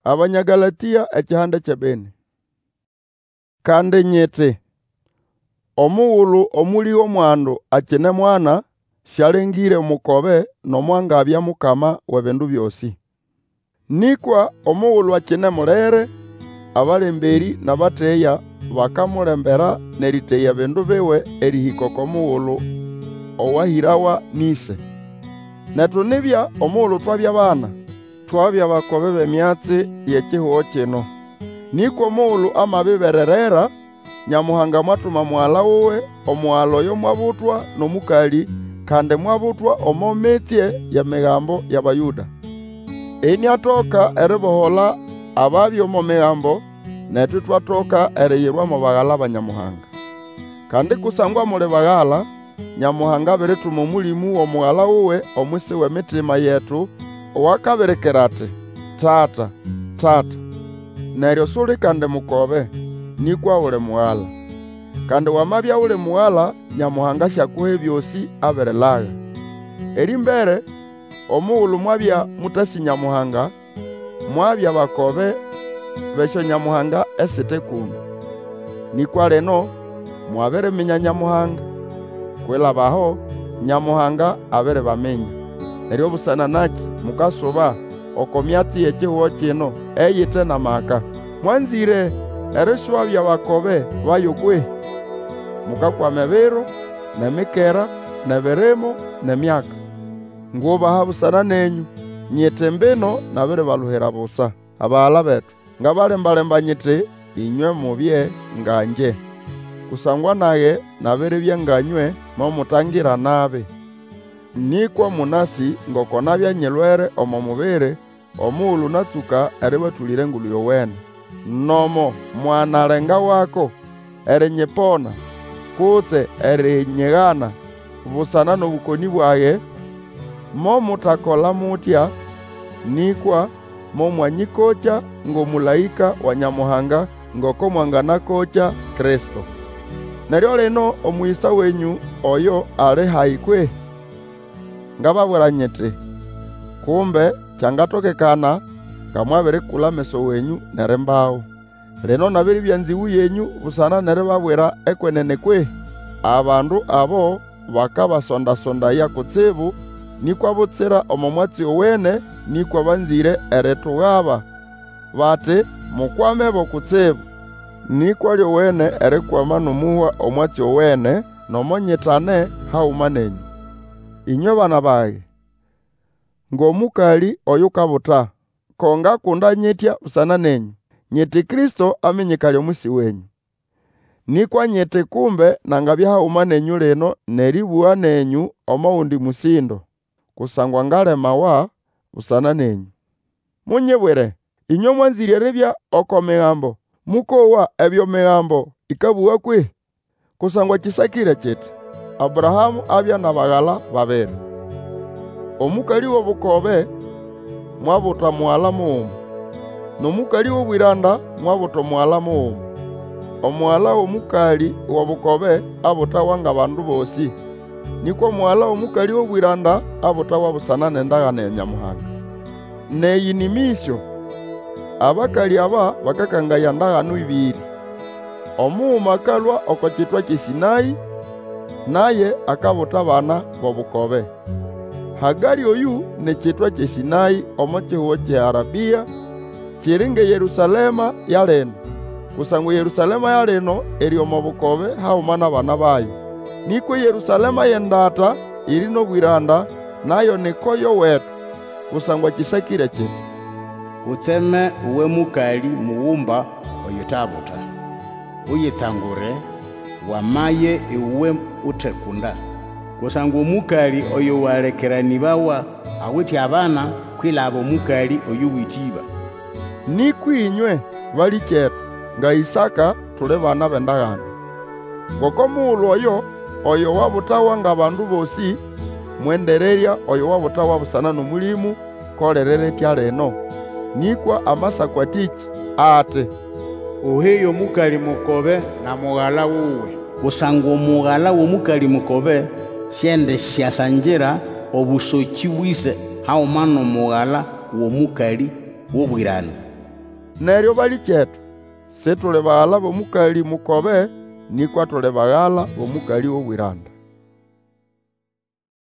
Abanya Galatĩa ekihanda ky'ebini. Kandi nyiti, Omugulu omũlĩ w'omwandu akine mwana, sialengĩre omukobe nomo angabya mukama w'ebindu byosĩ. Nĩkwa omugulu akine mulere, abalemberĩ n'abateya bakamulembera n'erĩteya ebindu biwe erĩhĩka oko mugulu owahĩrawa n'ĩse. Netu nibya omugulu twabya bana, twabya bakobe b'emyatsi y'ekihugo kino. Nĩkwa omugulu amabibererera, Nyamuhanga mwatuma Mugala wuwe, Omugala oyo mwabutwa n'omũkalĩ, kandi mwabutwa omo mitsye y'Emigambo y'Abayũda. Iniatoka eribohola ababya omo Migambo, netu itwatoka eriyirwa mo bagala ba Nyamuhanga. Kandi kusangwa muli bagala, Nyamuhanga abirituma Omũlĩmũ w'omugala wuwe omwisi w'emitima yetu owakabirikira ati, Tata, Tata! Neryo suli kandi mukobe, nĩkwa uli mugala. Kandi wamabya uli mugala, Nyamuhanga asyakuha ebyosĩ abirilaga. Erĩmbere, omugulu mwabya mũtasĩ Nyamuhanga, mwabya bakobe b'esyonyamuhanga esite kundu. Nĩkwa lino mwabiriminya Nyamuhanga, kwilaba aho, Nyamuhanga abiribaminya. Neryo busana nakĩ mukasuba oko myatsi y'ekihugo kino eyite n'amaka? Mwanzĩre eriswabya bakobe bayo kwehĩ? Mukakwama ebiro, n'emikera, n'ebirimo, n'emyaka. Ngubaha busana nenyũ, nyiti mbino nabiribaluhira busa. Abagala betu, ngabalemba-lemba nyiti, ĩnywe mubye nga ngye. Kusangwa nage nabiribya nga nywe, momutangira nabi. Nĩkwa mũnasĩ ngoko nabya nyilwere omo mubiri omugulu natsũka erĩbatũlĩra Engulu Yowene. Nomo mwanalengawako erinyipona kutse erinyigana busana n'obũkonĩ bwage, momutakola mutya, nĩkwa momwanyĩkokya ng'omũlaĩka wa Nyamuhanga, ngoko mwanganakokya Kristo. Neryo lino omũyĩsa wenyũ oyo ali hahi kwehĩ? Ngababwira nyiti, Kumbe kyangatokekana nga mwabirikula ameso wenyũ n'erimbago. Lino nabiribya nzĩgũ yenyũ busana n'eribabwira ekwenene kwehĩ? Abandu abo bakabasonda-sondaya kutsibu, nĩkwa butsira omo mwatsi gowene, nĩkwa banzĩre eritugaba, bati mukwamebo kutsibu. Nĩkwa lyowene erikwama n'omũhwa omwatsi owene, nomo nyitane haguma nenyũ. Ĩnywe bana bage, ng'omũkalĩ oyukabuta, ko ngakunda nyitya busana nenyũ, nyiti Kristo aminyikale omwisi wenyũ. Nĩkwa nyiti kumbe nangabya haguma nenyũ lino n'erĩbũga nenyũ omo gundi mũsĩndo, kusangwa ngalemawa busana nenyũ. Munyibwire, ĩnywe mwanzĩre eribya oko Migambo, mũkowa ebyo Migambo ĩkabũga kwehĩ? Kusangwa kĩsakĩre kiti, Abrahamũ abya n'abagala babiri. Omũkalĩ w'obukobe mwabuta mugala muguma, n'omũkalĩ w'obwĩranda mwabuta omugala muguma. Omugala w'omũkalĩ w'obukobe abutawa ng'abandu bosĩ, nĩkwa omugala w'omũkalĩ w'obwĩranda abutawa busana n'endagano ya Nyamuhanga. N'eyĩ nĩ mĩsyo: Abakalĩ aba bakakangaya ndagano ĩbĩrĩ. Omuguma akalũa oko kitwa ky'eSĩnaĩ, naye akabuta abana b'obukobe. Hagarĩ oyũ ni kitwa ky'eSĩnaĩ omo kihugo ky'eArabĩa, kiri ng'eYerũsalema ya lino, kusangwa eYerũsalema ya lino iri omo bukobe haguma n'abana bayo. Nĩkwa eYerũsalema y'endata iri n'obwĩranda, nayo ni koyo wetu, kusangwa kĩsakĩre kiti, Utseme uwe mũkalĩ mugumba oyutabuta! Uyitsangure, wamaye uwe utekunda! Kusangwa omũkalĩ oyo walekeranĩbawa awite abana kwilaba omũkalĩ oyowite ĩba. Nĩkwa ĩnywe, balĩkyetu, nga Ĩsaka, tuli bana b'endagano. Ngoko mugulu oyo, oyo wabutawa ng'abandu bosĩ, mwendererya oyo wabutawa busana n'Omũlĩmũ, ko liri litya lino. Nĩkwa Amasako atĩkĩ? Ati, Uhige omũkalĩ mukobe na mugala wuwe. Kusangwa omugala w'omũkalĩ mukobe siendisyasangira obũsokĩ bw'ĩse haguma n'omugala w'omũkalĩ w'obwĩranda. Neryo balĩkyetu, Situli bagala b'omũkalĩ mukobe, nĩkwa tuli bagala b'omũkalĩ w'obwĩranda.